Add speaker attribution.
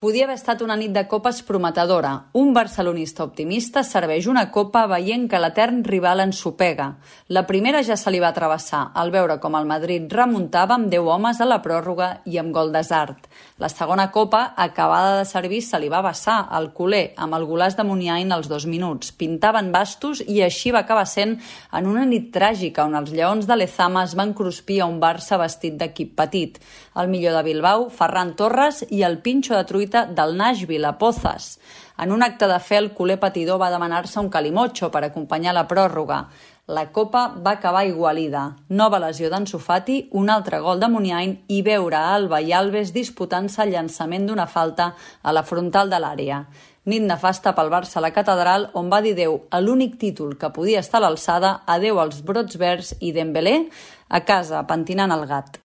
Speaker 1: Podia haver estat una nit de copes prometedora. Un barcelonista optimista serveix una copa veient que l'etern rival ensopega. La primera ja se li va travessar, al veure com el Madrid remuntava amb 10 homes a la pròrroga i amb gol d'Hazard. La segona copa, acabada de servir, se li va vessar al culer amb el golaç de Muniain als 2 minuts. Pintaven bastos i així va acabar sent en una nit tràgica on els lleons de Lezama es van cruspir a un Barça vestit d'equip petit. El millor de Bilbao, Ferran Torres, i el pinxo de truita del Nashville a Pozas. En un acte de fe, el culer patidor va demanar-se un calimocho per acompanyar la pròrroga. La copa va acabar igualida. Nova lesió d'Ansu Fati, un altre gol de Muniain i veure Alba i Alves disputant-se el llançament d'una falta a la frontal de l'àrea. Nit nefasta pel Barça a la catedral, on va dir adéu a l'únic títol que podia estar a l'alçada, adéu als brots verds i Dembélé a casa pentinant el gat.